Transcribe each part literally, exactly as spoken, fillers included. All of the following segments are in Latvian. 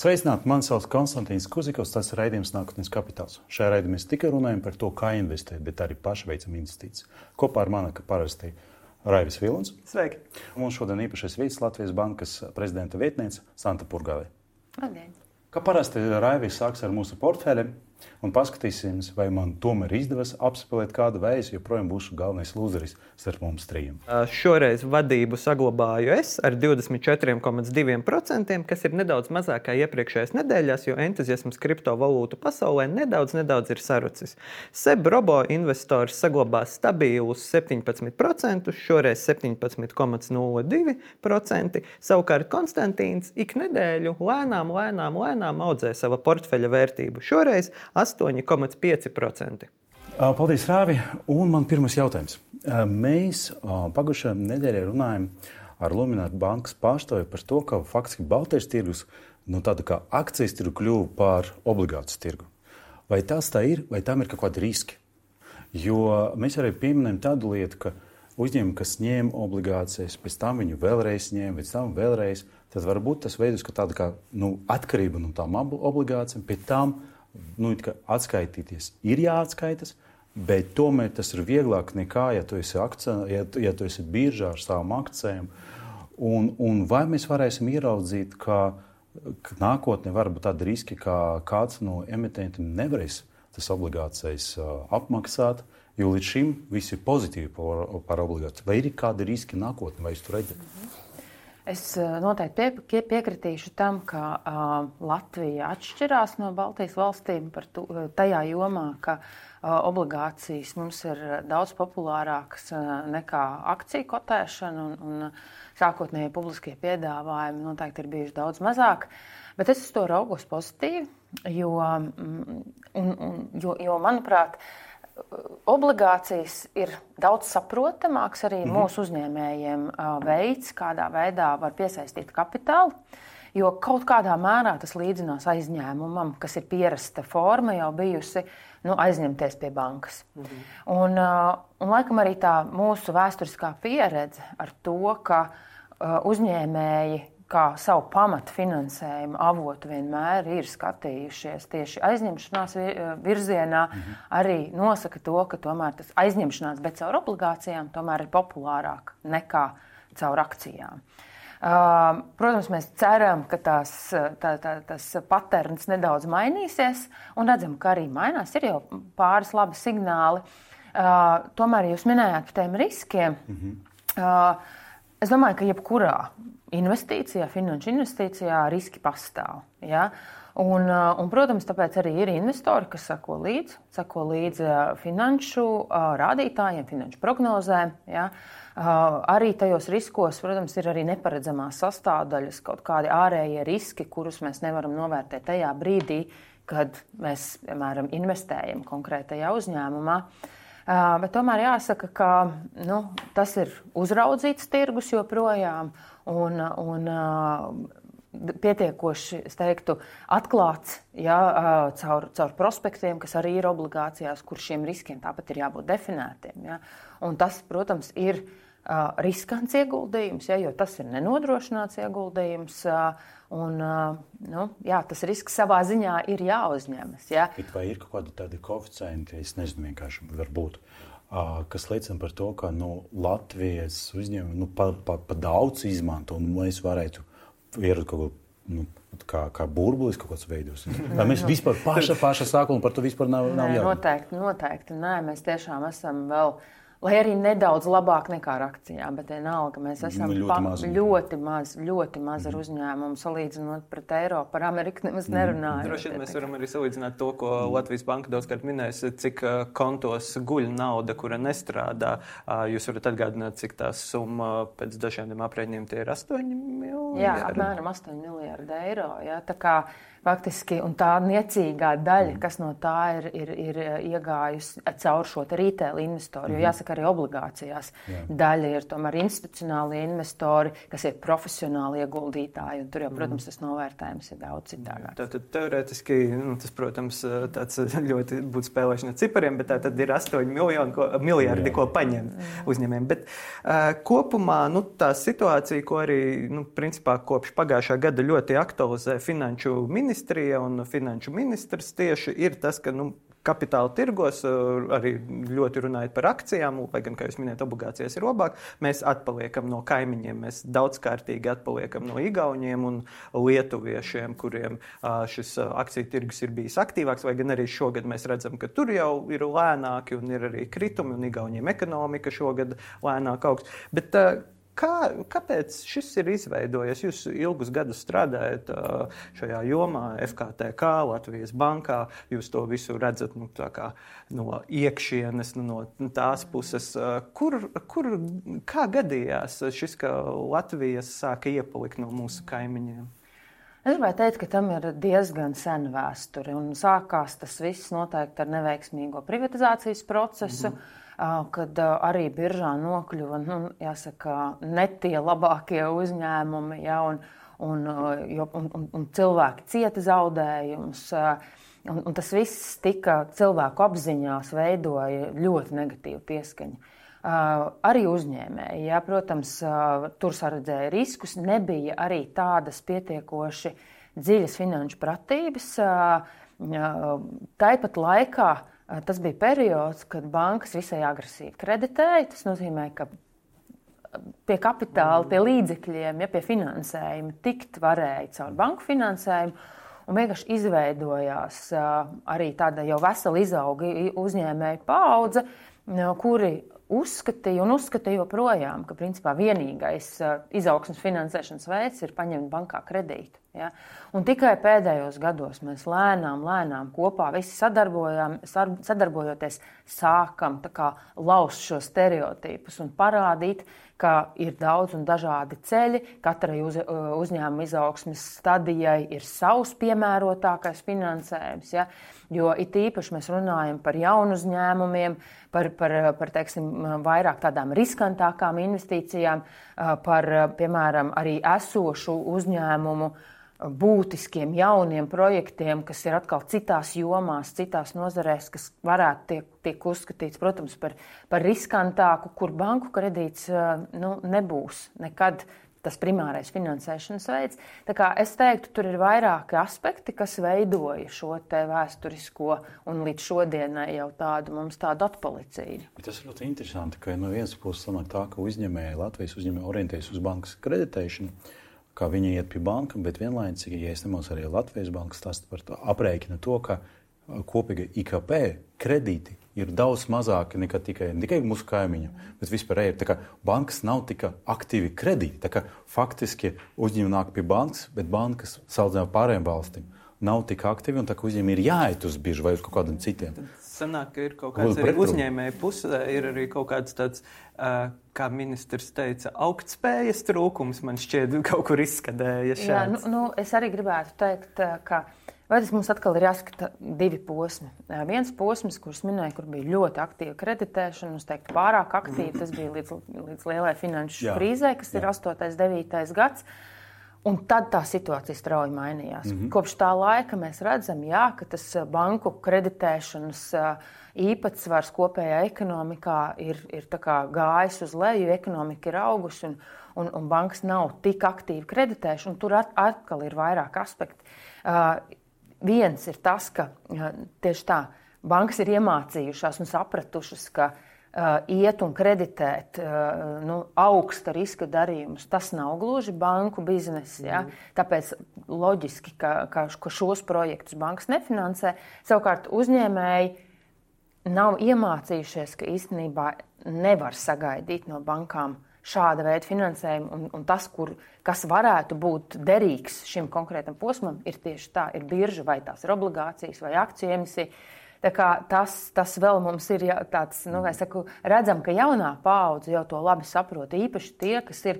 Sveicināti, mani sauc Konstantīns Kuzikovs, tas ir raidījums Nākotnes kapitāls. Šajā raidījumā mēs tikai runājam par to, kā investēt, bet arī paši veicam investīcijas. Kopā ar mani, ka parasti Raivis Vilons. Sveiki! Mums šodien īpašais viesis Latvijas Bankas prezidenta vietniece Santa Purgāve. Labdien! Kā parasti Raivis sāks ar mūsu portfeļiem un paskatīsimies, vai man tomēr izdevas apspēlēt kādu, vai es joprojām būšu galvenais lūzeris starp mums trījiem. Šoreiz vadību saglabāju es ar divdesmit četri komats divi procenti, kas ir nedaudz mazāk kā iepriekšējās nedēļās, jo entuziasms kriptovalūtu pasaulē nedaudz, nedaudz ir sarucis. Seb Robo investors saglabās stabilus septiņpadsmit procentus, šoreiz septiņpadsmit komats nulle divi procenti. Savukārt Konstantīns ik nedēļu lēnām, lēnām, lēnām audzē sava portfeļa vērtību. Šoreiz astoņi komats pieci procenti. Paldies, Rāvi. Un man pirmais jautājums. Mēs pagājušajā nedēļā runājam ar Luminor bankas pārstāvi par to, ka faktiski Baltijas tirgus, nu tāda kā akcijas tirgu kļuva par obligācijas tirgu. Vai tas tā ir, vai tam ir kaut kādi riski? Jo mēs arī pieminējam tādu lietu, ka uzņēmumi, kas ņēma obligācijas, pēc tam viņu vēlreiz ņēma, pēc tam vēlreiz, tad varbūt tas veidus, ka tāda kā nu, atkarība no tām obligācijām, pēc tam nu, atskaitīties ir jāatskaitas, bet tomēr tas ir vieglāk nekā, ja tu esi, akcija, ja, ja tu esi biržā ar savām akcijām. Un, un vai mēs varēsim ieraudzīt, ka, ka nākotnē var būt tādi riski, ka kāds no emitentiem nevarēs tas obligācijas apmaksāt, jo līdz šim viss ir pozitīvi par, par obligāciju. Vai ir kādi riski nākotnē, vai jūs to redzat? Es noteikti pie, piekritīšu tam, ka uh, Latvija atšķirās no Baltijas valstīm par tu, tajā jomā, ka uh, obligācijas mums ir daudz populārākas uh, nekā akciju kotēšana un, un sākotnēji publiskie piedāvājumi noteikti ir bijuši daudz mazāk. Bet es uz to raugos pozitīvi, jo, un, un, jo, jo manuprāt, obligācijas ir daudz saprotamāks arī mm-hmm. mūsu uzņēmējiem veids, kādā veidā var piesaistīt kapitālu, jo kaut kādā mērā tas līdzinās aizņēmumam, kas ir pierasta forma jau bijusi nu, aizņemties pie bankas. Mm-hmm. Un, un laikam arī tā mūsu vēsturiskā pieredze ar to, ka uzņēmēji kā savu pamatu finansējumu avotu vienmēr ir skatījušies tieši aizņemšanās virzienā, mm-hmm. arī nosaka to, ka tomēr tas aizņemšanās, bet caur obligācijām tomēr ir populārāk nekā caur akcijām. Uh, protams, mēs ceram, ka tās, tā, tā, tas paterns nedaudz mainīsies, un redzam, ka arī mainās. Ir jau pāris labi signāli. Uh, tomēr jūs minējāt par tiem riskiem. Mm-hmm. Uh, es domāju, ka jebkurā investīcijā, finanšu investīcijā riski pastāv. Ja? Un, un, protams, tāpēc arī ir investori, kas sako līdzi, sako līdzi finanšu rādītājiem, finanšu prognozēm. Ja? Arī tajos riskos, protams, ir arī neparedzamās sastāvdaļas, kaut kādi ārējie riski, kurus mēs nevaram novērtēt tajā brīdī, kad mēs, piemēram, investējam konkrētajā uzņēmumā. Uh, bet tomēr jāsaka, ka nu, tas ir uzraudzīts tirgus joprojām un, un uh, pietiekoši, es teiktu, atklāts ja, uh, caur, caur prospektiem, kas arī ir obligācijās, kur šiem riskiem tāpat ir jābūt definētiem. Ja. Un tas, protams, ir uh, riskants ieguldījums, ja, jo tas ir nenodrošināts ieguldījums. Uh, Un, nu, jā, tas risks savā ziņā ir jāuzņemas. Jā. Vai ir kaut kādi tādi koeficienti, es nezinu, vienkārši varbūt, kas liecina par to, ka nu, Latvijas uzņēmumi nu, pa, pa, pa daudz izmanto, un mēs varētu ierot kaut ko, nu, kā, kā burbulis kaut kāds veidos. Vai mēs vispār paša, paša sākuma par to vispār nav, nav jābūt? Noteikti, noteikti. Nē, mēs tiešām esam vēl... Lai arī nedaudz labāk nekā ar akcijām, bet vienalga mēs esam nu, ļoti, maz. ļoti maz, ļoti maz ar uzņēmumu, salīdzinot pret Eiropu, par Ameriku nemaz nerunājot. Droši vien mēs varam arī salīdzināt to, ko Latvijas Banka daudzkārt minēs, cik kontos guļ nauda, kura nestrādā. Jūs varat atgādināt, cik tā summa pēc dažiem aprēķiniem tie ir astoņi miljardi? Jā, apmēram astoņi miljardi eiro. Jā. Tā kā faktiski, un tā niecīgā daļa, kas no tā ir, ir, ir iegājusi caur šo retail investoru, jo jāsaka arī obligācijās. Jā. Daļa ir tomēr institucionālie investori, kas ir profesionāli ieguldītāji, un tur jau, protams, tas novērtējums ir daudz citādāks. Tātad teorētiski, nu, tas, protams, tāds ļoti būtu spēlēšana cipariem, bet tā tad ir astoņi miljoni, ko, miljardi, ko paņem uzņēmējiem. Bet uh, kopumā, nu, tā situācija, ko arī, nu, principā kopš pagājušā gada ļoti aktualizē finanšu ministrija, Ministrija un finanšu ministrs tieši ir tas, ka nu, kapitāla tirgos arī ļoti runājot par akcijām, lai gan, kā jūs minējat, obligācijas ir labāk, mēs atpaliekam no kaimiņiem, mēs daudzkārtīgi atpaliekam no igauņiem un lietuviešiem, kuriem šis akciju tirgus ir bijis aktīvāks, vai gan arī šogad mēs redzam, ka tur jau ir lēnāki un ir arī kritumi un igauņiem ekonomika šogad lēnāk augs. Bet Kā, kāpēc šis ir izveidojies? Jūs ilgus gadus strādājat šajā jomā, F K T K, Latvijas bankā, jūs to visu redzat nu, tā kā, no iekšienes, nu, no tās puses. Kur, kur, kā gadījās šis, ka Latvijas sāka iepalikt no mūsu kaimiņiem? Es gribētu teikt, ka tam ir diezgan sena vēsture, un sākās tas viss noteikti ar neveiksmīgo privatizācijas procesu, mm-hmm. kad arī biržā nokļuva, nu, jāsaka, ne tie labākie uzņēmumi, ja, un, un, un, un, un cilvēki cieta zaudējumus. Un, un tas viss tika cilvēku apziņās veidoja ļoti negatīvu pieskaņu. Uh, arī uzņēmēji, ja, protams, uh, tur saredzēja riskus, nebija arī tādas pietiekoši dziļas finanšu pratības. Uh, uh, tāpat laikā uh, tas bija periods, kad bankas visai agresīvi kreditēja. Tas nozīmē, ka pie kapitāla, pie līdzekļiem, ja, pie finansējuma tikt varēja caur banku finansējumu. Un vienkārši izveidojās uh, arī tāda jau vesela izauga uzņēmēju paudze, uh, kuri uzskatīja un uzskatīja joprojām, ka principā vienīgais uh, izaugsmes finansēšanas veids ir paņemt bankā kredītu. Ja? Un tikai pēdējos gados mēs lēnām, lēnām kopā visi sadarbojoties sākam tā kā laust šo stereotipus un parādīt, ka ir daudz un dažādi ceļi, katrai uz, uzņēmuma izaugsmes stadijai ir savs piemērotākais finansējums, ja? Jo it īpaši mēs runājam par jaunu uzņēmumiem, par, par, par teiksim, vairāk tādām riskantākām investīcijām, par, piemēram, arī esošu uzņēmumu būtiskiem jauniem projektiem, kas ir atkal citās jomās, citās nozarēs, kas varētu tiek, tiek uzskatīts, protams, par, par riskantāku, kur banku kredīts nu, nebūs nekad tas primārais finansēšanas veids. Tā kā es teiktu, tur ir vairāki aspekti, kas veidoja šo te vēsturisko un līdz šodienai jau tādu mums tādu atpalicību. Tas ir ļoti interesanti, ka no vienas puses sanāk tā, ka uzņēmēji, Latvijas uzņēmēji orientējas uz bankas kreditēšanu, kā viņi iet pie banka, bet vienlaicīgi, ja es nemaldos, arī Latvijas banka stāsta par to, aprēķina to, ka kopīga I K P kredīti ir daudz mazāki nekā tikai, ne tikai mūsu kaimiņu, bet vispār ir. Tā kā bankas nav tik aktīvi kredīti. Tā kā faktiski uzņēmumi nāk pie bankas, bet bankas salīdzinājumā pārējām valstīm nav tik aktīvi, un tā kā uzņēmumi ir jāiet uz biržu vai uz kaut kādiem citiem. Sanāk, ka ir kaut kāds arī uzņēmēju pusē, ir arī kaut kāds tāds, kā ministrs teica, augtspējas trūkums, man šķiet, kaut kur izskatēja šāds. Jā, nu, nu, es arī gribētu teikt, ka vai tas mums atkal ir jāskata divi posmi. Viens posms, kurus minēju, kur bija ļoti aktīva kreditēšana, es teiktu pārāk aktīva, tas bija līdz, līdz lielai finanšu jā, krīzē, kas jā. ir astotais, devītais gads. Un tad tā situācija strauji mainījās. Mm-hmm. Kopš tā laika mēs redzam, jā, ka tas banku kreditēšanas īpatsvars kopējā ekonomikā ir, ir tā kā gājis uz leju, ekonomika ir augusi un, un, un bankas nav tik aktīvi kreditējuši, un tur at, atkal ir vairāk aspekti. Uh, viens ir tas, ka uh, tieši tā, bankas ir iemācījušās un sapratušas, ka Uh, iet un kreditēt uh, nu, augsta riska darījumus. Tas nav gluži banku bizness. Ja? Tāpēc loģiski, ka, ka, ka šos projektus bankas nefinansē. Savukārt uzņēmēji nav iemācījušies, ka īstenībā nevar sagaidīt no bankām šāda veida finansējumu. Un, un tas, kur, kas varētu būt derīgs šim konkrētam posmam, ir tieši tā, ir birža vai tās ir obligācijas vai akciju emisija. Tā kā tas, tas vēl mums ir tāds, nu, es saku, redzam, ka jaunā paudze jau to labi saprot. Īpaši tie, kas ir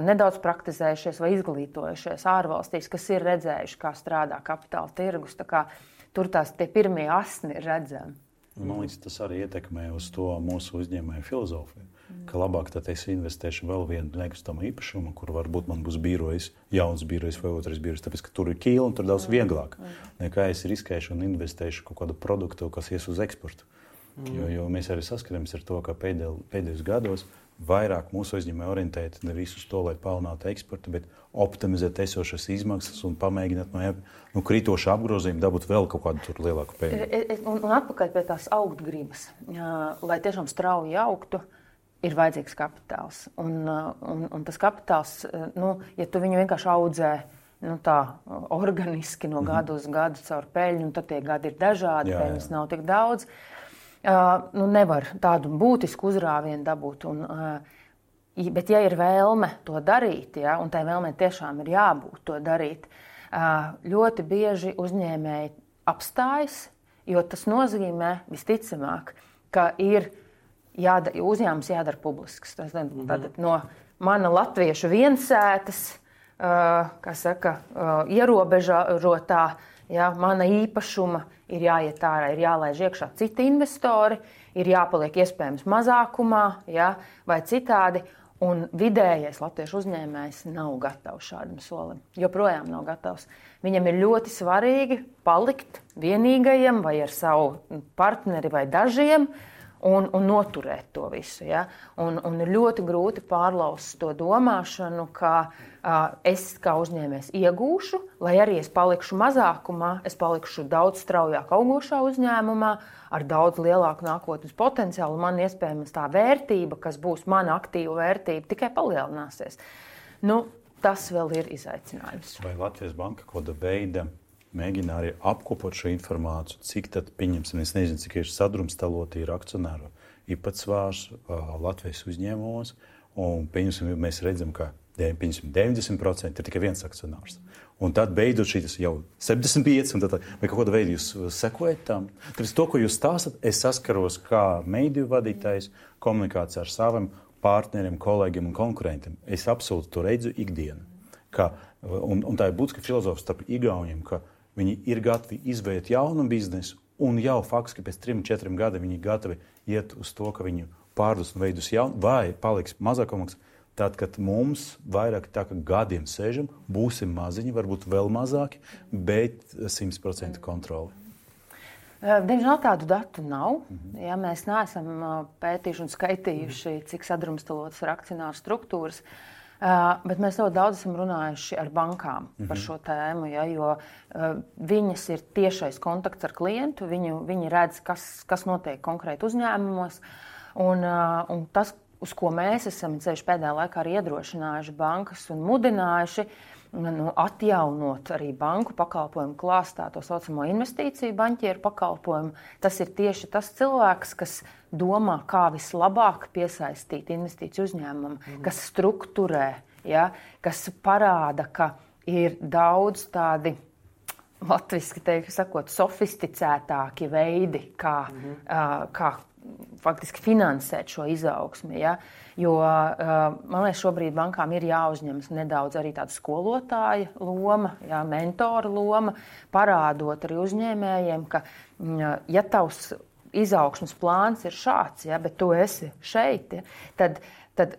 nedaudz praktizējušies vai izglītojušies ārvalstīs, kas ir redzējuši, kā strādā kapitāla tirgus. Tā kā tur tās tie pirmie asni ir redzami. Man liekas, tas arī ietekmē uz to mūsu uzņēmēju filozofiju, mm. ka labāk tad es investēšu vēl vienu nekustamo īpašumu, kur varbūt man būs birojs, jauns birojs vai otrais birojs, tāpēc, ka tur ir ķīla un tur daudz vieglāk, mm. nekā es riskēšu un investēšu kaut kādu produktu, kas ies uz eksportu. Mm. Jo, jo mēs arī saskaramies ar to, ka pēdēj, pēdējos gados vairāk mūsu uzņēmēji orientēti nevis uz to, lai palielinātu eksportu, bet optimizēt esošas izmaksas un pamēģināt no nu, krītoša apgrozījuma dabūt vēl kaut kādu tur lielāku peļņu. Un, un atpakaļ pie tās augt gribas. Lai tiešām strauji augtu, ir vajadzīgs kapitāls. Un, un, un tas kapitāls, nu, ja tu viņu vienkārši audzē nu, tā organiski no gadu uz gadu caur peļņu, tad tie gadi ir dažādi, jā, peļņas jā. Nav tik daudz. Uh, nu nevar tādu būtisku uzrāvienu dabūt. Un, uh, bet, ja ir vēlme to darīt, ja, un tai vēlmei tiešām ir jābūt to darīt, uh, ļoti bieži uzņēmēji apstājas, jo tas nozīmē visticamāk, ka ir jāda, uzņēmums jādara publisks. Tas, mm-hmm. Tātad no mana latviešu viensētas, uh, kā saka, uh, ierobežotā, ja, mana īpašuma ir jāiet ārā, ir jālaiž iekšā citi investori, ir jāpaliek iespējams mazākumā, ja, vai citādi, un vidējais latviešu uzņēmējs nav gatavs šādam solim. Joprojām nav gatavs. Viņam ir ļoti svarīgi palikt vienīgajam vai ar savu partneri vai dažiem un, un noturēt to visu. Ja. Un, un ir ļoti grūti pārlaust to domāšanu, ka uh, es kā uzņēmējs iegūšu, lai arī es palikšu mazākumā, es palikšu daudz straujāk augošā uzņēmumā, ar daudz lielāku nākotnes potenciālu. Man iespējams tā vērtība, kas būs mana aktīva vērtība, tikai palielināsies. Nu, tas vēl ir izaicinājums. Vai Latvijas Banka kāda veida mēģina arī apkopot šo informāciju, cik tad, pieņemsim, es nezinu, cik ir sadrumstaloti ir akcionāru īpatsvārs uh, Latvijas uzņēmumos, un, pieņemsim, mēs redzam, ka deviņdesmit procenti ir tikai viens akcionārs. Un tad beidzot šīs jau septiņdesmit pieci, un tad, vai kaut kāda veida jūs sekojat tam. Tāpēc to, ko jūs stāstat, es saskaros kā mediju vadītājs komunikācijā ar saviem partneriem, kolēģiem un konkurentiem. Es absolūti to redzu ikdienu. Ka, un, un tā ir būtiska filozofija starp igauniem, ka viņi ir gatavi izveidot jaunu biznesu, un jau faktiski pēc trim, četriem gadiem viņi gatavi iet uz to, ka viņi pārdos un veidus jaunu, vai paliks mazākumaks. Tad, kad mums vairāk tā kā gadiem sēžam, būsim maziņi, varbūt vēl mazāki, bet simt procenti kontroli. Diemžēl tādu datu nav. Mm-hmm. Ja mēs neesam pētījuši un skaitījuši, cik sadrumstalotas ir akcionāru struktūras, bet mēs ļoti daudz esam runājuši ar bankām mm-hmm. par šo tēmu, ja, jo viņas ir tiešais kontakts ar klientu, viņu, viņi redz, kas, kas notiek konkrēti uzņēmumos, un, un tas, uz ko mēs esam ceļš pēdējā laikā arī iedrošinājuši bankas un mudinājuši nu, atjaunot arī banku pakalpojumu klāstā, to saucamo investīciju banķieru pakalpojumu. Tas ir tieši tas cilvēks, kas domā, kā vislabāk piesaistīt investīciju uzņēmumam, mm. kas strukturē, ja, kas parāda, ka ir daudz tādi, latviski teikt, sakot, sofisticētāki veidi, kā, mm. uh, kā faktiski finansēt šo izaugsmi, ja? Jo, man liekas, šobrīd bankām ir jāuzņemas nedaudz arī tāda skolotāja loma, ja, mentora loma, parādot arī uzņēmējiem, ka, ja tavs izaugsmes plāns ir šāds, ja, bet tu esi šeit, ja, tad, tad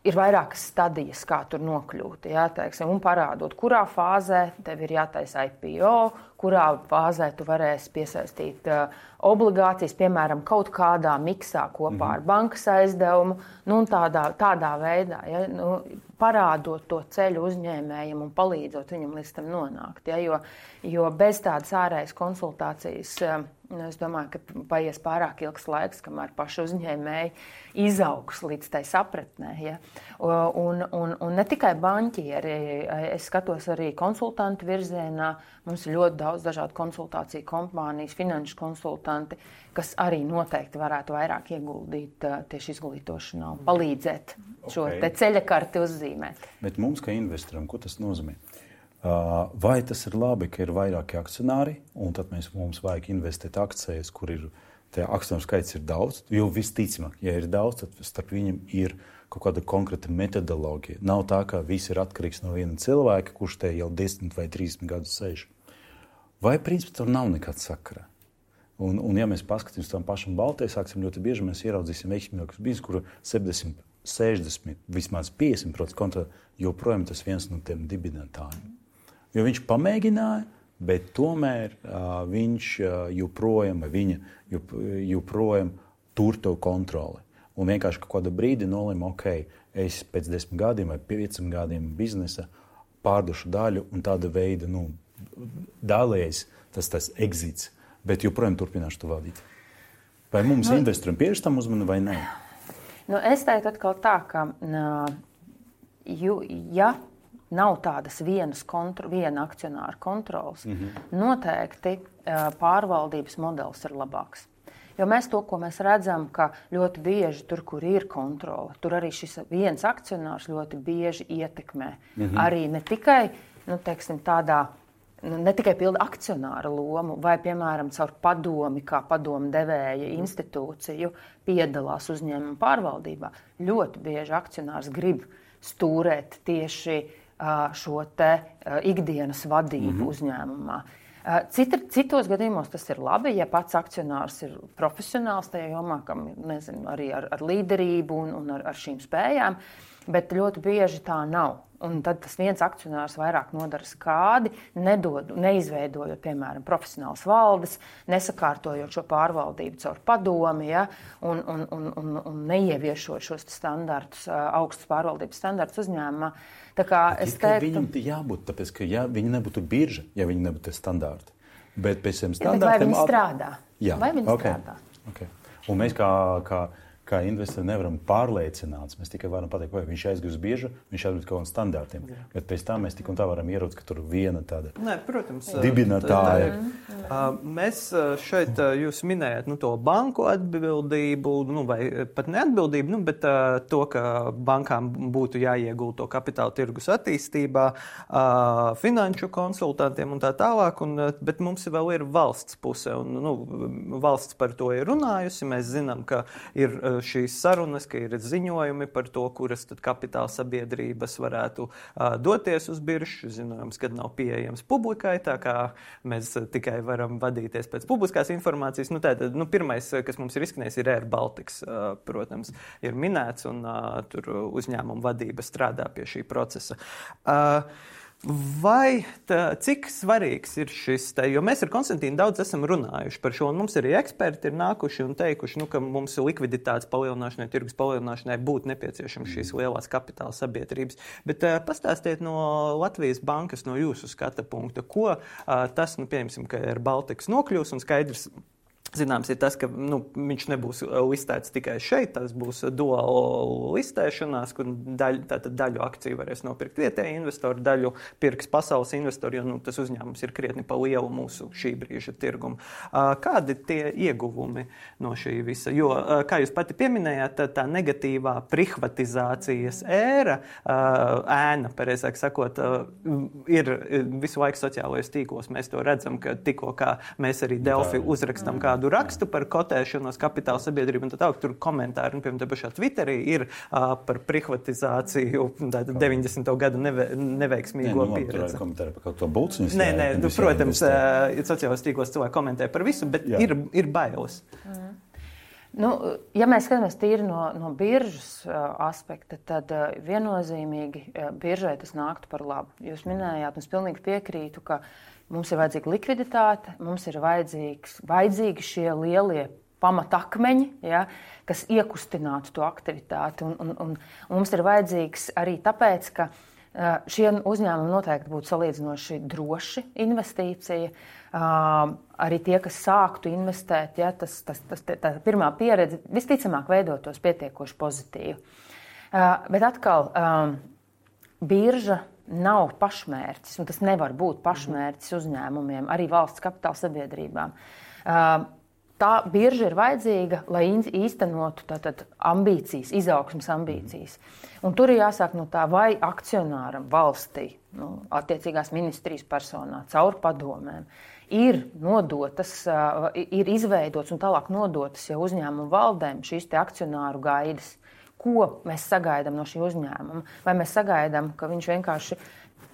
ir vairākas stadijas, kā tur nokļūt, ja, teiksim, un parādot, kurā fāzē tev ir jātaisa I P O, kurā fāzē tu varēsi piesaistīt uh, obligācijas, piemēram, kaut kādā miksā kopā mm-hmm. ar bankas aizdevumu, nu, un tādā, tādā veidā, ja, nu, parādot to ceļu uzņēmējiem un palīdzot viņam līdz tam nonākt, ja, jo, jo bez tādas ārējas konsultācijas, uh, es domāju, ka paies pārāk ilgs laiks, kamēr paši uzņēmēji izaugs līdz tai sapratnē, ja. Un, un, un ne tikai banķieri, es skatos arī konsultantu virzienā, mums ir ļoti daudz dažādu konsultāciju kompānijas, finanšu konsultanti, kas arī noteikti varētu vairāk ieguldīt tieši izglītošanā un palīdzēt šo okay. te ceļakarti uzzīmēt. Bet mums, kā investoram, ko tas nozīmē? Vai tas ir labi, ka ir vairāki akcionāri, un tad mēs, mums vajag investēt akcijas, kur ir Tie akcionāru skaits ir daudz, jo visticamāk, ja ir daudz, tad starp viņiem ir kaut kāda konkrēta metodoloģija. Nav tā, ka viss ir atkarīgs no viena cilvēka, kurš te jau desmit vai trīsdesmit gadus sēž. Vai principā tur nav nekāda sakara? Un, un ja mēs paskatīsimies tam pašam Baltijai, sāksim ļoti bieži, mēs ieraudzīsim veiksmīgākus biznesus, kuru septiņdesmit, sešdesmit, vismaz piecdesmit procenti konta joprojām tas viens no tiem dibinātājiem. Jo viņš pamēģināja, bet tomēr uh, viņš uh, joprojām, vai viņa jop, joprojām tur to kontroli. Un vienkārši kaut kādu brīdi nolēma, ok, es pēc desmit gadiem vai pieciem gadiem biznesa pārdošu daļu un tāda veida, nu, dalējas tas, tas exits, bet joprojām turpināšu to vadīt. Vai mums nu, investoriem pievērš tam uzmanu vai nē? Nu, es teiktu atkal tā, ka ju, ja nav tādas vienas kontro, viena akcionāra kontrolas, mm-hmm. noteikti pārvaldības modelis ir labāks. Jo mēs to, ko mēs redzam, ka ļoti bieži tur, kur ir kontrole, tur arī šis viens akcionārs ļoti bieži ietekmē. Mm-hmm. Arī ne tikai, nu, teiksim, tādā, nu, ne tikai pilda akcionāra lomu, vai, piemēram, caur padomi, kā padomu devēja institūciju piedalās uzņēmuma pārvaldībā. Ļoti bieži akcionārs grib stūrēt tieši uh, šo te uh, ikdienas vadību mm-hmm. uzņēmumā. Cita, citos gadījumos tas ir labi, ja pats akcionārs ir profesionāls tajā jomā, kam nezinu, arī ar, ar līderību un, un ar, ar šīm spējām, bet ļoti bieži tā nav. Un tad tas viens akcionārs vairāk nodara skādi, nedod, neizveidojot, piemēram, profesionālas valdes, nesakārtojot šo pārvaldību caur padomi, ja, un, un, un, un, un neieviešot šos standartus, augstus pārvaldības standartus uzņēmumā. Tā kā es teiktu, viņam jābūt, tāpēc, ka ja viņi nebūtu birža, ja viņi nebūtu standarti. Bet pēc tiem ja, standartiem... Vai viņi strādā? Jā, vai viņi okay. strādā? Okay. Un mēs kā... kā kā investori nevaram pārliecināts. Mēs tikai varam pateikt, vai viņš aizgūs bieži, viņš atbilst kaut kādiem standartiem. Jā. Bet pēc tam mēs tik un tā varam ieraudzīt, ka tur viena tāda Nē, protams, dibinātāja. Mēs šeit, jūs minējat nu, to banku atbildību, nu, vai pat neatbildību, nu, bet to, ka bankām būtu jāiegulda to kapitāla tirgus attīstībā, finanšu konsultantiem un tā tālāk, un, bet mums vēl ir valsts puse. Un, nu, valsts par to ir runājusi. Mēs zinām, ka ir šīs sarunas, ka ir ziņojumi par to, kuras tad kapitāla sabiedrības varētu uh, doties uz biržu. Zinājums, kad nav pieejams publikai, tā kā mēs tikai varam vadīties pēc publiskās informācijas. Nu, tātad, nu, pirmais, kas mums ir izskanējis, ir Air Baltics, uh, protams, ir minēts, un uh, tur uzņēmuma vadība strādā pie šī procesa. Uh, Vai tā, cik svarīgs ir šis te, jo mēs ar Konstantīnu daudz esam runājuši par šo, un mums arī eksperti ir nākuši un teikuši, nu, ka mums likviditātes palielināšanai, tirgus palielināšanai būtu nepieciešams šīs lielās kapitāla sabiedrības. Bet uh, pastāstiet no Latvijas bankas, no jūsu skata punkta, ko uh, tas, nu, pieņemsim, ka ir Baltics nokļūs un skaidrs, zināms, ir tas, ka nu, viņš nebūs listēts tikai šeit, tas būs duāla listēšanās, kur daļu, tātad daļu akciju varēs nopirkt vietēji investori, daļu pirks pasaules investori, jo nu, tas uzņēmums ir krietni pa lielu mūsu šī brīža tirgumu. Kādi tie ieguvumi no šī visa? Jo, kā jūs pati pieminējāt, tā, tā negatīvā privatizācijas ēra, ēna, pareizāk sakot, ir visu laiku sociālajos tīklos. Mēs to redzam, ka tikko kā mēs arī Delfi uzrakstam kādu rakstu par kotēšanos kapitāla sabiedrību un tā tālāk, tur komentāri, un, piemēram, te pašā Twitterī ir uh, par privatizāciju deviņdesmito gadu neve, neveiksmīgo nē, nu, pieredzi. Tur komentāri par kaut to bulciņas. Nē, nē, nu, protams, uh, sociālajos tīklos cilvēki komentē par visu, bet jā. ir, ir bailes. Mm. Nu, ja mēs skatāmies tīri no, no biržas uh, aspekta, tad uh, viennozīmīgi uh, biržai tas nāktu par labu. Jūs minējāt, un es pilnīgi piekrītu, ka mums ir vajadzīga likviditāte, mums ir vajadzīgi šie lielie pamatakmeņi, ja, kas iekustinātu to aktivitāti. Un, un, un, un mums ir vajadzīgs arī tāpēc, ka uh, šie uzņēmumi noteikti būtu salīdzinoši droši investīcija. Uh, arī tie, kas sāktu investēt, ja, tas, tas, tas, tā pirmā pieredze visticamāk veidotos pietiekoši pozitīvi. Uh, bet atkal, um, birža nav pašmērķis, un tas nevar būt pašmērķis uzņēmumiem, arī valsts kapitāla sabiedrībām. Tā birža ir vajadzīga, lai īstenotu tātad ambīcijas, izaugsmes ambīcijas. Un tur ir jāsāk no tā, vai akcionāram valstī, nu, attiecīgās ministrijas personā, caur padomēm, ir nodotas, ir izveidotas un tālāk nodotas jau uzņēmumu valdēm šīs te akcionāru gaidas. Ko mēs sagaidām no šī uzņēmuma? Vai mēs sagaidām, ka viņš vienkārši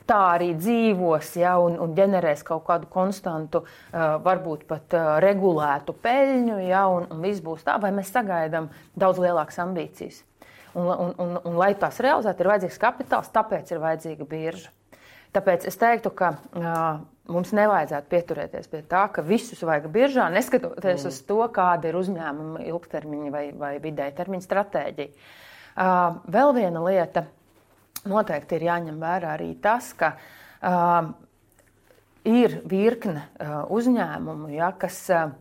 tā arī dzīvos, ja, un, un ģenerēs kaut kādu konstantu, uh, varbūt pat uh, regulētu peļņu, ja, un, un viss būs tā, vai mēs sagaidām daudz lielākas ambīcijas. Un, un, un, un lai tās realizētu, ir vajadzīgs kapitāls, tāpēc ir vajadzīga birža. Tāpēc es teiktu, ka uh, mums nevajadzētu pieturēties pie tā, ka visus vajag biržā, neskatoties mm. uz to, kāda ir uzņēmuma ilgtermiņa vai, vai vidēja termiņa stratēģija. Uh, vēl viena lieta. Noteikti ir jāņem vērā arī tas, ka uh, ir virkne uh, uzņēmumu, ja, kas, uh,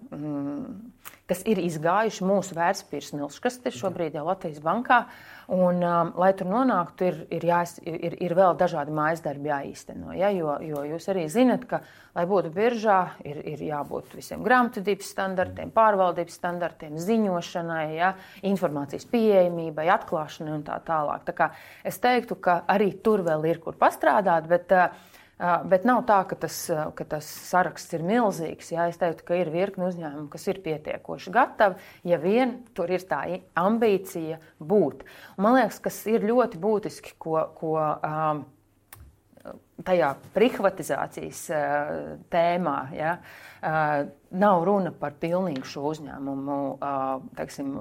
kas ir izgājuši mūsu vērtspapīru smilškasti šobrīd jau Latvijas bankā. Un, um, lai tur nonāktu, ir, ir, jās, ir, ir vēl dažādi mājasdarbi jāīsteno. Ja, jo, jo jūs arī zinat, ka, lai būtu biržā, ir, ir jābūt visiem grāmatvedības standartiem, pārvaldības standartiem, ziņošanai, ja, informācijas pieejamībai, atklāšanai un tā tālāk. Tā kā es teiktu, ka arī tur vēl ir kur pastrādāt, bet, bet nav tā, ka tas, ka tas saraksts ir milzīgs. Ja. Es teiktu, ka ir virkni uzņēmumi, kas ir pietiekoši gatavi, ja vien tur ir tā ambīcija būt. Un man liekas, kas ir ļoti būtiski, ko, ko um, tajā privatizācijas uh, tēmā, ja, uh, nav runa par pilnīgu šo uzņēmumu uh, teiksim,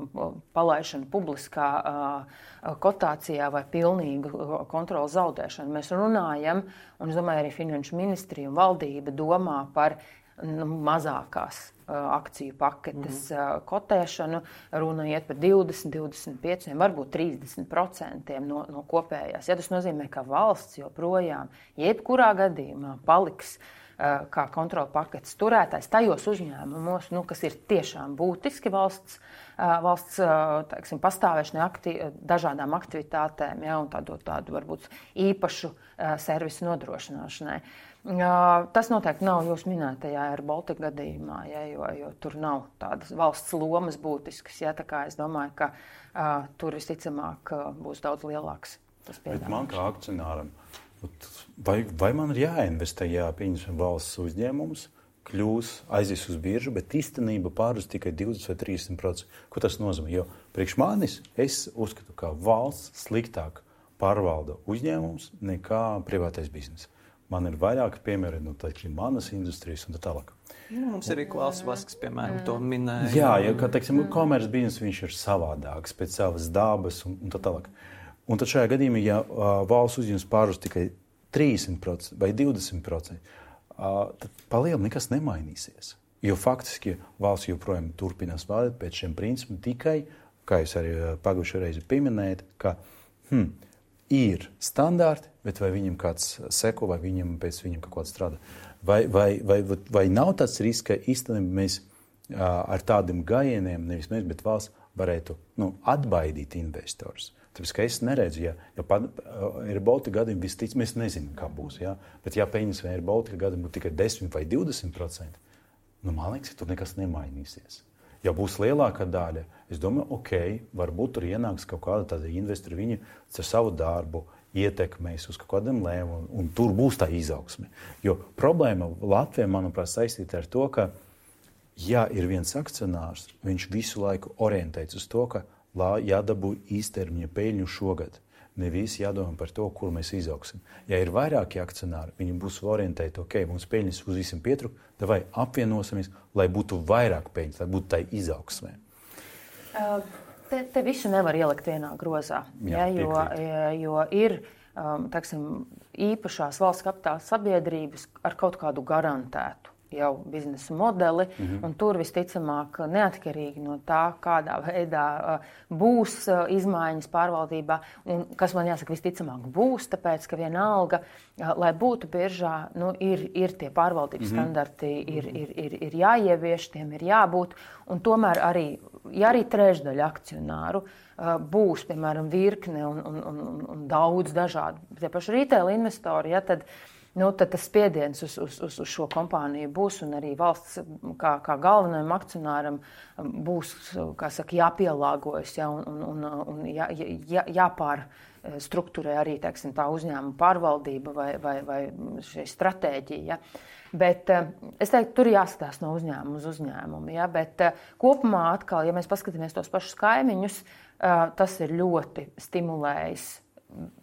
palaišanu publiskā uh, kotācijā vai pilnīgu kontrolu zaudēšanu. Mēs runājam, un es domāju, arī Finanšu ministrija un valdība domā par nu, mazākās uh, akciju paketes mm. uh, kotēšanu. Runa iet par divdesmit, divdesmit pieci, varbūt trīsdesmit procentiem no, no kopējās. Ja tas nozīmē, ka valsts joprojām jebkurā gadījumā paliks uh, kā kontrola paketes turētājs tajos uzņēmumos, nu, kas ir tiešām būtiski valsts, uh, valsts uh, teiksim, pastāvēšanai, akti, dažādām aktivitātēm, ja, un tādu, tādu varbūt īpašu uh, servisu nodrošināšanai. Uh, tas noteikti nav jūs minētajā ar Baltika gadījumā, ja, jo, jo tur nav tādas valsts lomas būtiskas. Ja, tā kā es domāju, ka uh, tur visticamāk uh, būs daudz lielāks tas piedāvājums. Bet man kā akcionāram, vai, vai man ir jāinvestē, jā, pieņemsim valsts uzņēmumus, kļūs, aizies uz biržu, bet īstenība pārus tikai divdesmit vai trīsdesmit procenti. Ko tas nozīmē? Jo priekš manis es uzskatu, ka valsts sliktāk pārvalda uzņēmums nekā privātais bizness. Man ir vairāki piemēri no tādas manas industrijas un tā tālāk. Nu, mums arī Klaus Vasks, piemēram, to minēja. Jā, ja, kā teiksim, komerces bizness viņš ir savādāks pēc savas dabas un, un tā tālāk. Un tad šajā gadījumā, ja uh, valsts uzņēmums pārus tikai trīsdesmit procenti vai divdesmit procenti, uh, tad palielini nekas nemainīsies. Jo faktiski valsts joprojām turpinās valdīt pēc šiem principiem tikai, kā jūs arī pagājušajā reizi pieminējat, ka hmm, ir standarti, bet vai viņam kāds seko, vai viņam pēc viņam kaut kāds strādā. Vai, vai, vai, vai nav tāds risks, ka īstenībā mēs uh, ar tādiem gājieniem, nevis mēs, bet valsts varētu nu, atbaidīt investorus. Tāpēc, ka es neredzu, ja, ja pa, uh, ir Baltika gadījumi, vistic, mēs nezinām, kā būs. Ja? Bet ja pieņems, vai ir Baltika gadījumi būtu tikai desmit vai divdesmit procenti, nu, man liekas, ka tur nekas nemainīsies. Ja būs lielākā daļa, es domāju, ok, varbūt tur ienāks kaut kāda tāda investori, viņi ar savu darbu ietekmēs uz kaut kādiem lēmumiem, un tur būs tā izaugsme. Jo problēma Latvijā, manuprāt, saistīta ar to, ka, ja ir viens akcionārs, viņš visu laiku orientēts uz to, ka jādabū īstermiņa peļņu šogad. Nevis jādomā par to, kur mēs izaugsim. Ja ir vairāki akcionāri, viņi būs orientēti, ok, mums peļņas uz visiem pietrūk, vai apvienosimies, lai būtu vairāk peļņas, lai būtu tai izaugsmē. Uh, te, te visu nevar ielikt vienā grozā, jā, ja, jo, jo ir um, teksim, īpašās valsts kapitāla sabiedrības ar kaut kādu garantētu jau biznesa modeli, mm-hmm. un tur visticamāk neatkarīgi no tā, kādā veidā uh, būs uh, izmaiņas pārvaldībā, un kas man jāsaka visticamāk būs, tāpēc, ka vienalga, uh, lai būtu biržā, nu, ir, ir tie pārvaldības mm-hmm. standarti, ir, ir, ir, ir jāievieš, tiem ir jābūt, un tomēr arī, ja arī trešdaļa akcionāru uh, būs, piemēram, virkne un, un, un, un daudz dažādu, tie paši retail investori, ja, tad nu, tad tas spiediens uz, uz, uz, uz šo kompāniju būs, un arī valsts kā, kā galvenajam akcionāram būs, kā saka, jāpielāgojas, ja, un, un, un jā, jā, jāpārstruktūrē arī, teiksim, tā uzņēmuma pārvaldība vai, vai, vai šī stratēģija. Ja. Bet es teiktu, tur jāskatās no uzņēmuma uz uzņēmumu. Ja, bet kopumā atkal, ja mēs paskatāmies tos pašus kaimiņus, tas ir ļoti stimulējis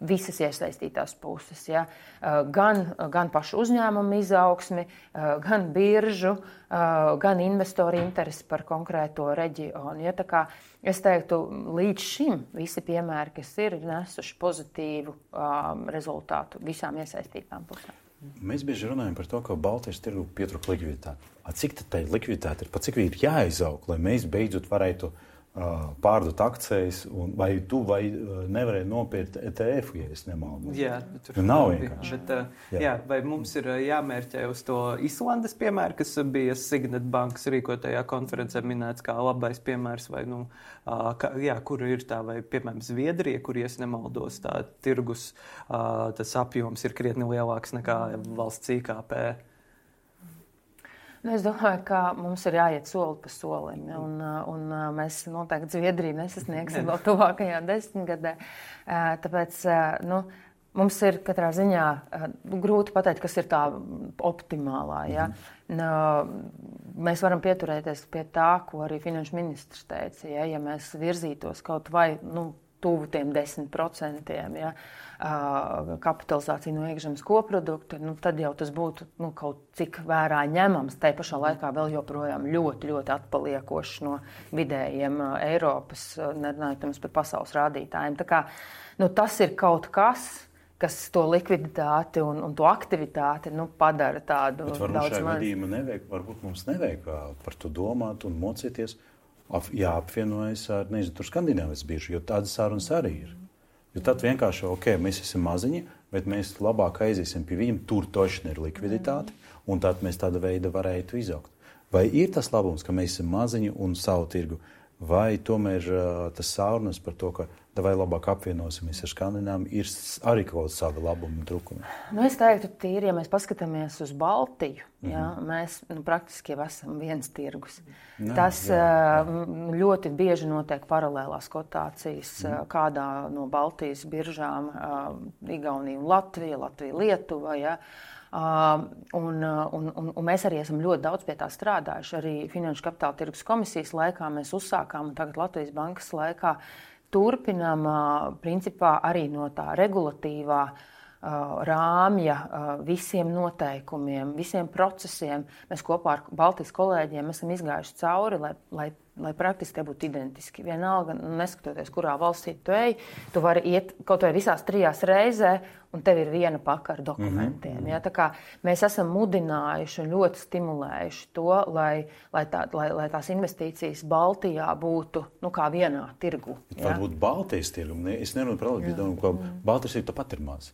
visas iesaistītās puses. Ja? Gan, gan pašu uzņēmumu izaugsmi, gan biržu, gan investoru interesi par konkrēto reģionu. Ja? Tā kā es teiktu, līdz šim visi piemēri, kas ir, ir nesuši pozitīvu um, rezultātu visām iesaistītām pusēm. Mēs bieži runājam par to, ka Baltijas tirgu pietrūka likviditāte. Cik tad tai likviditāte ir? Pa cik ir jāizaug, lai mēs beidzot varētu pārdot akcijas, un vai tu vai nevarēji nopirkt E T F, ja es nemaldos? Jā, tur nav vienkārši. Bet, jā. Jā, vai mums ir jāmērķē uz to Islandes piemēru, kas bija Signet bankas rīkotajā konferencē minēts kā labais piemērs, vai, nu, kā, jā, kur ir tā, vai, piemēram, Zviedrija, kur, ja es nemaldos, tā tirgus, tas apjoms ir krietni lielāks nekā valsts I K P. Nu, es domāju, ka mums ir jāiet soli pa solim, un, un mēs noteikti Zviedriju nesasniegsim vēl tuvākajā desmitgadē. Tāpēc nu, mums ir katrā ziņā grūti pateikt, kas ir tā optimālā. Ja? Mēs varam pieturēties pie tā, ko arī finanšu ministrs teica. Ja, ja mēs virzītos kaut vai nu, tuvu tiem desmit procentiem, ja, kapitalizācija no iekšzemes koprodukta, nu, tad jau tas būtu nu, kaut cik vērā ņemams. Tai pašā laikā vēl joprojām ļoti, ļoti atpaliekošs no vidējiem Eiropas, nerunājot par pasaules rādītājiem. Tā kā, nu, tas ir kaut kas, kas to likviditāti un, un to aktivitāti nu, padara tādu Bet varbūt daudz šajā maz. gadījumā nevajag, varbūt mums nevajag par to domāt un mocīties. Jāapvienojas ar, nezinu, tur Skandināvijas biržu, jo tādas sarunas arī ir. Jo tad vienkārši, ok, mēs esam maziņi, bet mēs labāk aiziesim pie viņiem, tur tošana ir likviditāte, un tad mēs tāda veida varētu izaugt. Vai ir tas labums, ka mēs esam maziņi un savu tirgu, vai tomēr tas sarunas par to, ka vai labāk apvienosimies ar Skandināviem, ir arī kaut kāda savi labumi un trūkumi? Nu, es teiktu, tīri, ja mēs paskatāmies uz Baltiju, mm-hmm. ja, mēs nu, praktiski jau esam viens tirgus. Jā, Tas jā, jā. ļoti bieži notiek paralēlās kotācijas mm. kādā no Baltijas biržām, Igaunija un Latvija, Latvija, Lietuva. Ja. Uh, un, un, un, un mēs arī esam ļoti daudz pie tā strādājuši. Arī Finanšu kapitāla tirgus komisijas laikā mēs uzsākām, un tagad Latvijas bankas laikā turpinām principā arī no tā regulatīvā rāmja visiem noteikumiem, visiem procesiem. Mēs kopā ar Baltijas kolēģiem esam izgājuši cauri, lai, lai, lai praktiski tie būtu identiski. Vienalga, neskatoties, kurā valstī tu ej, tu vari iet kaut vai visās trijās reizē, un tev ir viena paka ar dokumentiem. Mm-hmm. Ja? Tā kā mēs esam mudinājuši un ļoti stimulējuši to, lai, lai, tā, lai, lai tās investīcijas Baltijā būtu nu, kā vienā tirgu. Ja? Varbūt Baltijas tirgu. Es nerunāju par Latviju, ka Baltijas tirgu tāpat ir maz.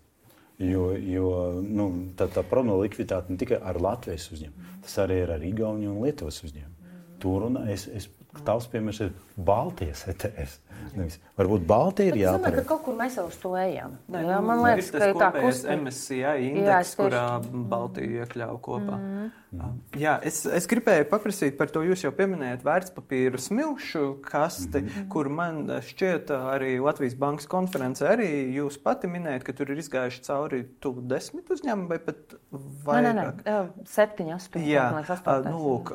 Jo, jo nu, tā, tā problēma likviditāte ne tikai ar Latvijas uzņēmumu, tas arī ir ar Igauniju un Lietuvas uzņēmumu. Tur un es, es tavs piemērs ir Baltijas E T F. Nevis. Varbūt Baltija ir jāpārēj. Es domāju, ka kaut kur mēs jau uz to ejam. Nē, jā, man liekas, ka ir tā kustība. M S C I indeks, jā, kurā Baltija iekļauj kopā. Mm. Mm. Jā, es, es gribēju paprasīt par to, jūs jau pieminējat vērtspapīru smilšu kasti, mm. kur man šķiet arī Latvijas bankas konferencē arī jūs pati minējat, ka tur ir izgājuši cauri tuvu desmit uzņēmumu vai pat vairāk. Nē, nē, septiņi, astoņi. Jā, nu, lūk,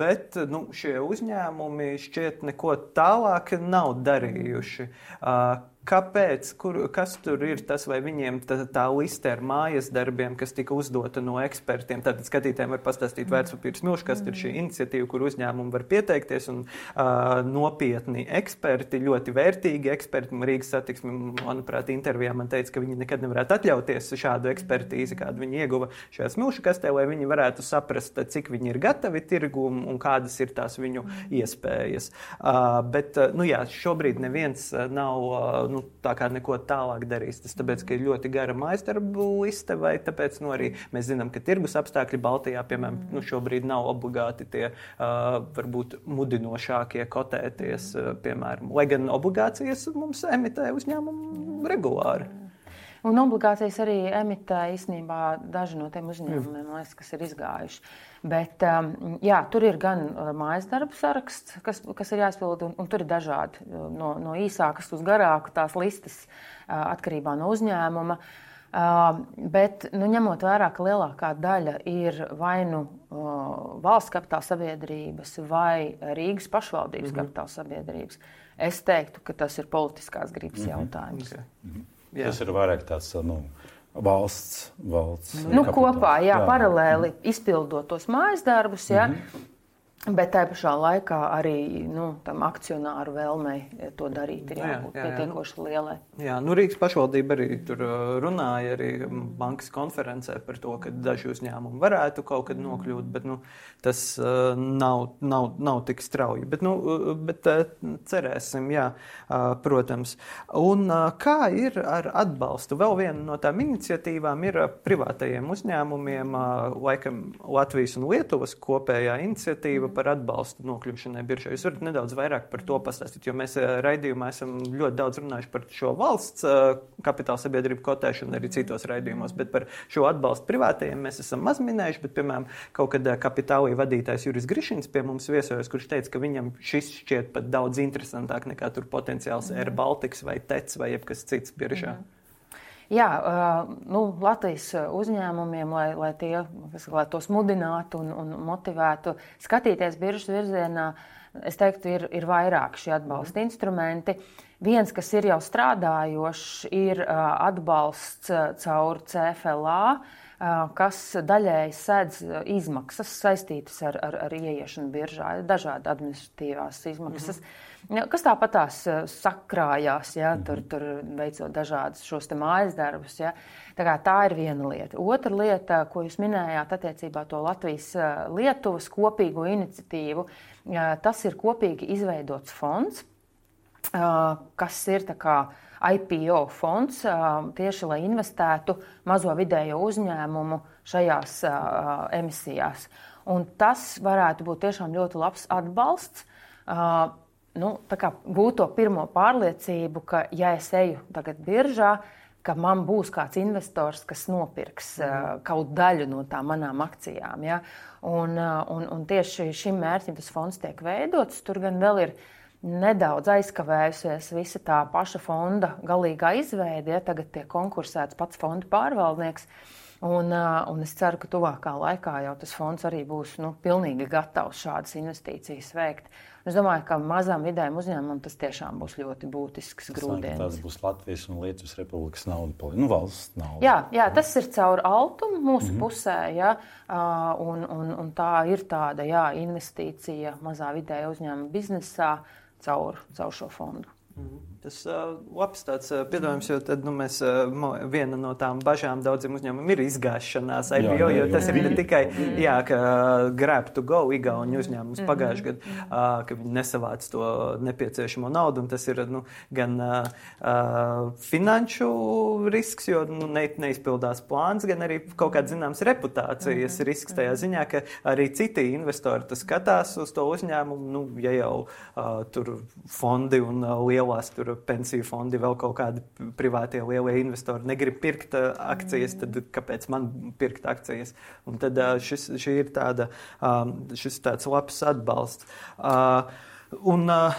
bet nu, šie uzņēmumi šķiet neko tālāk nav darījuši. Kāpēc? Kur, kas tur ir tas, vai viņiem tā, tā liste ar mājas darbiem, kas tika uzdota no ekspertiem? Tātad skatītājiem var pastāstīt vērtspapīru smilšu, kas ir šī iniciatīva, kur uzņēmumi var pieteikties, un uh, nopietni eksperti, ļoti vērtīgi eksperti. Rīgas satiksme, manuprāt, intervijā man teica, ka viņi nekad nevarētu atļauties šādu ekspertīzi, kādu viņi ieguva šajā smilšu kastē, lai viņi varētu saprast, cik viņi ir gatavi tirgumu un kādas ir tās viņu iespējas. Uh, bet, nu jā, šobrīd neviens nav uh, nu, tā kā neko tālāk darīs. Tas tāpēc, ka ir ļoti gara mājasdarbu liste, vai tāpēc, nu, arī mēs zinām, ka tirgus apstākļi Baltijā, piemēram, nu, šobrīd nav obligāti tie, uh, varbūt, mudinošākie kotēties, uh, piemēram, lai gan obligācijas mums emitē uzņēmumu regulāri. Un obligācijas arī emitē īstenībā daži no tiem uzņēmumiem, mm. kas ir izgājuši. Bet jā, tur ir gan mājas darba saraksts, kas, kas ir jāizpild, un, un tur ir dažādi no, no īsākas uz garāku tās listas atkarībā no uzņēmuma. Uh, bet, nu, ņemot vērā, ka lielākā daļa ir vai nu uh, valsts kapitāla sabiedrības vai Rīgas pašvaldības mm-hmm. kapitāla sabiedrības, es teiktu, ka tas ir politiskās gribas mm-hmm. jautājums. Okay. Mm-hmm. Tas ir vairāk tāds, nu, valsts, valsts nu, kopā, jā, jā, paralēli mm-hmm. izpildot tos mājas darbus, jā, mm-hmm. bet tā pašā laikā arī nu, tam akcionāru vēlmei to darīt ir jābūt jā, jā, pietiekoši nu, lielai. Jā, nu Rīgas pašvaldība arī tur runāja arī bankas konferencē par to, ka daži uzņēmumi varētu kaut kad nokļūt, bet nu, tas uh, nav, nav, nav tik strauji. Bet, nu, bet uh, cerēsim, jā, uh, protams. Un uh, kā ir ar atbalstu? Vēl viena no tām iniciatīvām ir uh, privātajiem uzņēmumiem, uh, laikam Latvijas un Lietuvas kopējā iniciatīva par atbalstu nokļūšanai biržā. Jūs varat nedaudz vairāk par to pastāstīt, jo mēs raidījumā esam ļoti daudz runājuši par šo valsts kapitāla sabiedrību kotēšanu arī citos raidījumos, bet par šo atbalstu privātajiem mēs esam maz minējuši, bet, piemēram, kaut kad kapitālī vadītājs Juris Grišins pie mums viesojas, kurš teica, ka viņam šis šķiet pat daudz interesantāk nekā tur potenciāls Air Baltics vai T E C vai jebkas cits biržā. Mm. Jā, nu, Latvijas uzņēmumiem, lai, lai, tie, lai tos mudinātu un, un motivētu skatīties biržas virzienā, es teiktu, ir, ir vairāk šie atbalsta mm. instrumenti. Viens, kas ir jau strādājošs, ir atbalsts caur C F L A, kas daļēji sedz izmaksas saistītas ar, ar, ar ieiešanu biržā, dažādi administratīvās izmaksas. Mm-hmm. Kas tāpat tās sakrājās, ja, tur, tur veicot dažādas šos te mājas darbus. Ja. Tā, kā, tā ir viena lieta. Otra lieta, ko jūs minējāt attiecībā to Latvijas-Lietuvas kopīgo iniciatīvu, tas ir kopīgi izveidots fonds, kas ir tā kā I P O fonds, tieši lai investētu mazo vidējo uzņēmumu šajās emisijās. Un tas varētu būt tiešām ļoti labs atbalsts. Nu, tā kā būt to pirmo pārliecību, ka ja es eju tagad biržā, ka man būs kāds investors, kas nopirks mm. kaut daļu no tām manām akcijām. Ja? Un, un, un tieši šim mērķim tas fonds tiek veidots. Tur gan vēl ir nedaudz aizkavējusies visa tā paša fonda galīgā izveide. Ja? Tagad tiek konkursēts pats fonda pārvaldnieks. Un, un es ceru, ka tuvākā laikā jau tas fonds arī būs nu, pilnīgi gatavs šādas investīcijas veikt. Es domāju, ka mazām vidējām uzņēmumam tas tiešām būs ļoti būtisks grūdienis. Tas būs Latvijas un Lietuvas Republikas nauda, nu valsts nauda. Jā, jā, tas ir caur Altumu mūsu mm-hmm. pusē, jā, un, un, un tā ir tāda jā, investīcija mazā vidējā uzņēmuma biznesā caur, caur šo fondu. Mm-hmm. Tas uh, labs tāds uh, piedāvājums, jo tad nu, mēs, uh, viena no tām bažām daudziem uzņēmumiem ir izgāšanās I P O, jo tas ir ne tikai jā, ka uh, grab to go igauņu uzņēmums mm-hmm. pagājuši gadu, uh, ka viņi nesavāc to nepieciešamo naudu, un tas ir nu, gan uh, uh, finanšu risks, jo nu, ne, neizpildās plāns, gan arī kaut kāds zināms reputācijas mm-hmm. risks tajā ziņā, ka arī citi investori tas skatās uz to uzņēmumu, nu, ja jau uh, tur fondi un uh, lielās tur pensiju fondi, vēl kaut kādi privātie lielie investori negrib pirkt uh, akcijas, tad kāpēc man pirkt akcijas? Un tad uh, šis, šī ir tāda, um, šis tāds labs atbalsts. Uh, un uh,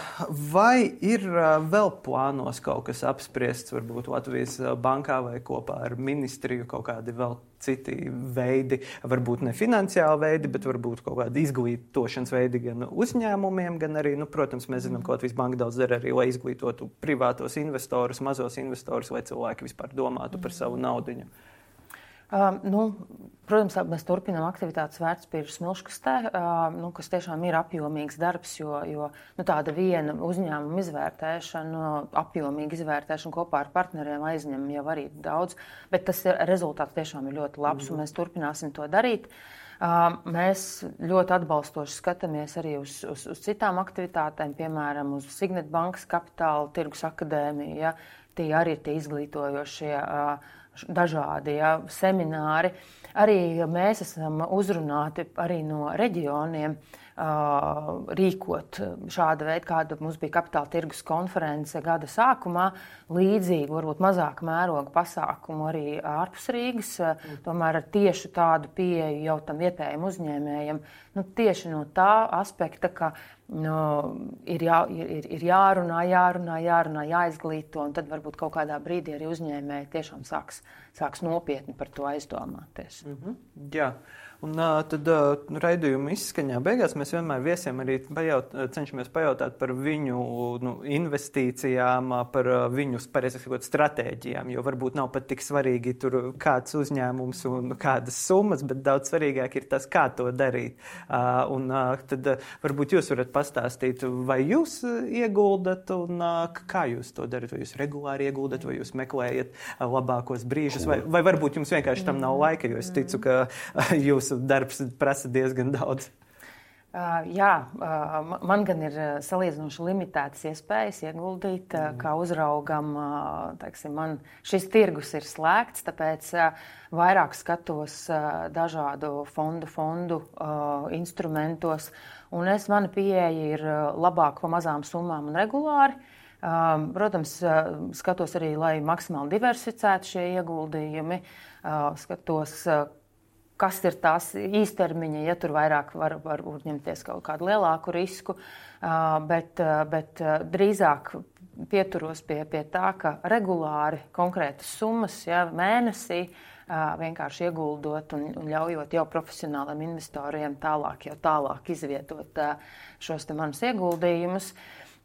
vai ir uh, vēl plānos kaut kas apspriests, varbūt Latvijas bankā vai kopā ar ministriju kaut kādi vēl citi veidi, varbūt ne finansiāli veidi, bet varbūt kaut kādi izglītošanas veidi gan uzņēmumiem, gan arī, nu, protams, mēs zinām, ka Latvijas banka daudz dara arī, lai izglītotu privātos investorus, mazos investorus, lai cilvēki vispār domātu par savu naudiņu. Uh, nu, protams, mēs turpinām aktivitātes vērtspapīru smilškastē, uh, nu, kas tiešām ir apjomīgs darbs, jo, jo nu, tāda viena uzņēmuma izvērtēšana, apjomīga izvērtēšana kopā ar partneriem aizņem jau arī daudz, bet tas ir, rezultāts tiešām ir ļoti labs, mm. un mēs turpināsim to darīt. Uh, mēs ļoti atbalstoši skatāmies arī uz, uz, uz citām aktivitātēm, piemēram, uz Signet bankas kapitāla tirgus akadēmiju, ja, tie arī ir tie izglītojošie uh, dažādi ja, semināri. Arī mēs esam uzrunāti arī no reģioniem, rīkot šāda veida, kāda mums bija kapitāla tirgus konference gada sākumā, līdzīgu, varbūt mazāk mēroga pasākumu arī ārpus Rīgas, tomēr ar tieši tādu pieeju jau tam vietējiem uzņēmējiem, nu, tieši no tā aspekta, ka nu, ir, jā, ir, ir jārunā, jārunā, jārunā, jāizglīto, un tad varbūt kaut kādā brīdī arī uzņēmēji tiešām sāks, sāks nopietni par to aizdomāties. Mm-hmm. Jā. Un uh, tad uh, raidījuma izskaņā beigās mēs vienmēr viesiem arī pajaut, cenšamies pajautāt par viņu nu, investīcijām, par uh, viņu pareizāk stratēģijām, jo varbūt nav pat tik svarīgi tur kāds uzņēmums un kādas summas, bet daudz svarīgāk ir tas, kā to darīt. Uh, un uh, tad uh, varbūt jūs varat pastāstīt, vai jūs ieguldat un uh, kā jūs to darat, vai jūs regulāri ieguldat, vai jūs meklējat uh, labākos brīžus, vai, vai varbūt jums vienkārši tam nav laika, jo es ticu, ka uh, jūs darbs prasa diezgan daudz. Uh, jā, uh, man gan ir salīdzinoši limitētas iespējas ieguldīt, uh, kā uzraugam, uh, teiksim, man šis tirgus ir slēgts, tāpēc uh, vairāk skatos uh, dažādu fondu, fondu uh, instrumentos, un es, mana pieeja ir uh, labāk pa mazām summām un regulāri. Uh, protams, uh, skatos arī, lai maksimāli diversificētu šie ieguldījumi, uh, skatos, uh, kas ir tās īstermiņa, ja tur vairāk var, var uzņemties kaut kādu lielāku risku, bet, bet drīzāk pieturos pie, pie tā, ka regulāri konkrētas summas, ja, mēnesī vienkārši ieguldot un, un ļaujot jau profesionāliem investoriem tālāk, jau tālāk izvietot šos te manus ieguldījumus.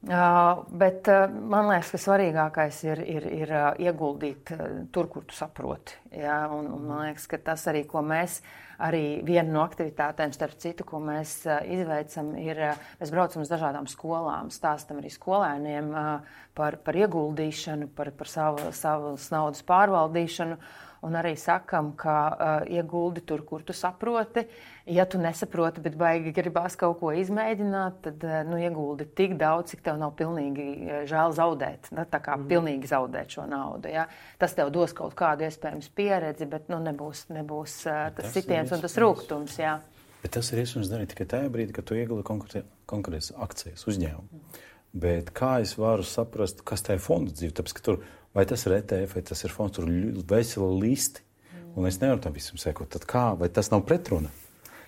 Uh, bet uh, man liekas, ka svarīgākais ir, ir, ir uh, ieguldīt uh, tur, kur tu saproti. Ja? Un, un man liekas, ka tas arī, ko mēs, arī viena no aktivitātēm, starp citu, ko mēs uh, izveicam, ir, uh, mēs braucam uz dažādām skolām, stāstam arī skolēniem uh, par, par ieguldīšanu, par, par savu, savas naudas pārvaldīšanu. Un arī sakam, ka uh, ieguldi tur, kur tu saproti. Ja tu nesaproti, bet baigi gribās kaut ko izmēģināt, tad uh, nu, ieguldi tik daudz, cik tev nav pilnīgi uh, žēl zaudēt. Nu, tā kā mm. pilnīgi zaudēt šo naudu. Ja? Tas tev dos kaut kādu iespējams pieredzi, bet nu, nebūs, nebūs uh, tas, tas sitiens un tas rūgtums. Jā. Bet tas ir iespējams darīt tikai tajā brīdī, kad tu ieguldi konkrētas akcijas uzņēmumu. Mm. Bet kā es varu saprast, kas tā ir fonda dzīve? Tāpēc, ka tur vai tas ir E T F, vai tas ir fonds, tur vesela listi, un es nevaru tam visam sekot. Tad kā, vai tas nav pretruna?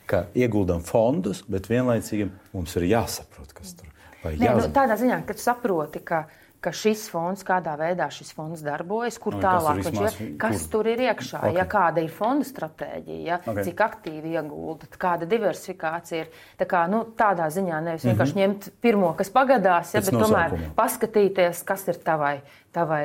Ka ieguldam fondus, bet vienlaicīgi mums ir jāsaprot, kas tur vai Nē, jāzina. Nu, tādā ziņā, ka tu saproti, ka, ka šis fonds, kādā veidā šis fonds darbojas, kur no, tālāk viņš vismaz, ir, kas kur? Tur ir iekšā, okay. Ja kāda ir fonda stratēģija, ja, okay. Cik aktīvi iegulda, kāda diversifikācija ir. Tā kā, nu, tādā ziņā nevis vienkārši mm-hmm. ņemt pirmo, kas pagadās, ja, bet tomēr paskatīties, kas ir tavai, tavai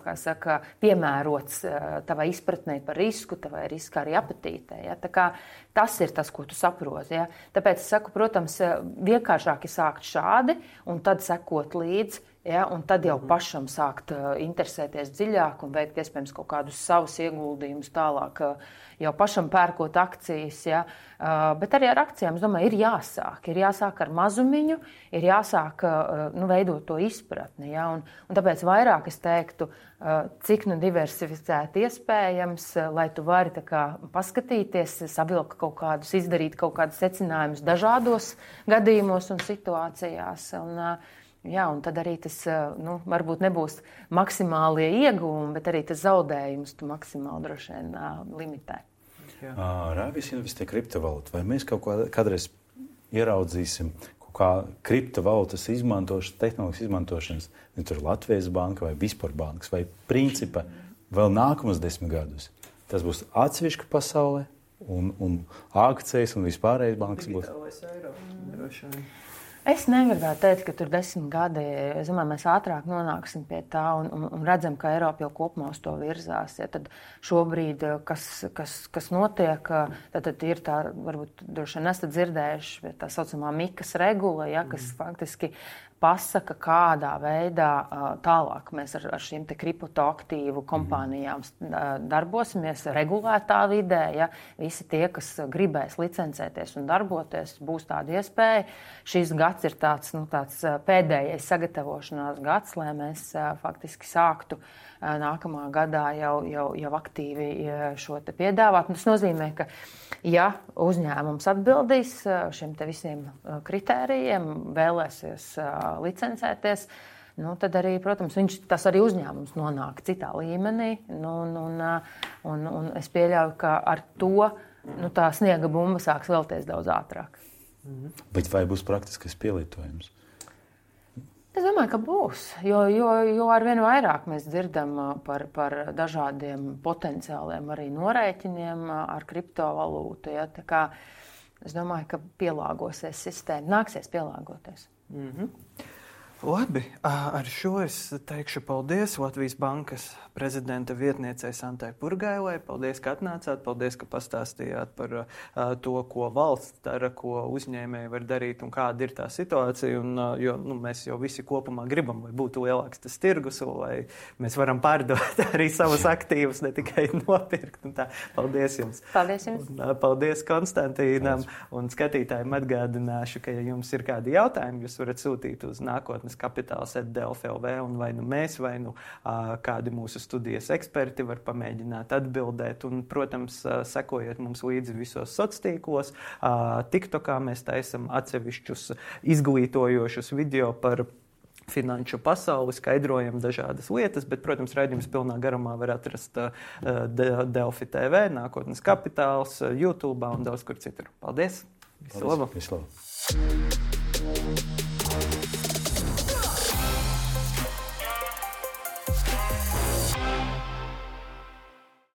kā saka, piemērots tavai izpratnei par risku, tavai riska arī apetītei. Ja. Tā kā tas ir tas, ko tu saproti. Ja. Tāpēc es saku, protams, vienkāršāk ir sākt šādi un tad sekot līdzi. Ja, un tad jau pašam sākt uh, interesēties dziļāk un veikt iespējams kaut kādus savus ieguldījumus tālāk, uh, jau pašam pērkot akcijas. Ja, uh, bet arī ar akcijām, es domāju, ir jāsāk. Ir jāsāk ar mazumiņu, ir jāsāk uh, nu, veidot to izpratni. Ja, un, un tāpēc vairāk es teiktu, uh, cik nu diversificēti iespējams, uh, lai tu vari tā kā paskatīties, savilkt kaut kādus, izdarīt kaut kādus secinājumus dažādos gadījumos un situācijās. Un, uh, Jā, un tad arī tas, nu, varbūt nebūs maksimālie ieguvumi, bet arī tas zaudējums tu maksimāli droši vien uh, limitē. Raivis investē kriptovalūtu. Vai mēs kaut kā, kādreiz ieraudzīsim kaut kā kriptovalūtas izmantošanas, tehnoloģijas izmantošanas, ne tur Latvijas banka vai vispār bankas, vai principa vēl nākamos desmit gadus? Tas būs atsevišķa pasaulē, un, un akcijas un vispārējais bankas būs. Digitālais eiro, droši vien. Es negribētu teikt, ka tur desmit gadi, es domāju, mēs ātrāk nonāksim pie tā un, un, un redzam, ka Eiropa jau kopumā uz to virzās. Ja, tad šobrīd, kas, kas, kas notiek, tad, tad ir tā, varbūt droši vien esat dzirdējuši, tā saucamā mikas regula, ja, kas faktiski pasaka, kādā veidā tālāk mēs ar, ar šīm te kriptoaktīvu kompānijām darbosimies regulētā vidē. Ja? Visi tie, kas gribēs licencēties un darboties, būs tāda iespēja. Šis gads ir tāds, nu, tāds pēdējais sagatavošanās gads, lai mēs faktiski sāktu nākamā gadā jau, jau, jau aktīvi šo te piedāvāt. Tas nozīmē, ka ja uzņēmums atbildīs šiem te visiem kritērijiem, vēlēsies licencēties, nu, tad arī, protams, viņš, tas arī uzņēmums nonāk citā līmenī. Nu, un, un, un, un es pieļauju, ka ar to nu, tā sniega bumba sāks vēlties daudz ātrāk. Bet vai būs praktiskais pielietojums? Es domāju, ka būs, jo, jo, jo arvien vairāk mēs dzirdam par, par dažādiem potenciāliem arī norēķiniem ar kriptovalūtu. Ja? Tā kā es domāju, ka pielāgosies sistēma, nāksies pielāgoties. Mm-hmm. Labi, ar šo es teikšu paldies Latvijas Bankas prezidenta vietniecei Santai Purgailai. Paldies, ka atnācāt, paldies, ka pastāstījāt par uh, to, ko valsts dara, ko uzņēmēji var darīt un kāda ir tā situācija. Un, uh, jo nu, mēs jau visi kopumā gribam, lai būtu lielāks tas tirgus, lai mēs varam pārdot arī savus aktīvus, ne tikai nopirkt. Un tā. Paldies jums. Paldies jums. Un, uh, paldies Konstantīnam. Un skatītājiem atgādināšu, ka ja jums ir kādi jautājumi, jūs varat sūtīt uz nākotnes kapitāls at delfi punkt el v un vai nu mēs, vai nu uh, kādi mūsu studijas eksperti var pamēģināt atbildēt. Un, protams, uh, sekojiet mums līdzi visos sociālos tīklos. Uh, TikTokā mēs taisam atsevišķus izglītojošus video par finanšu pasauli, skaidrojam dažādas lietas, bet, protams, raidījums pilnā garumā var atrast uh, Delfi T V, Nākotnes kapitāls, uh, YouTube un daudz kur citur. Paldies! Visu labu! Visu labu!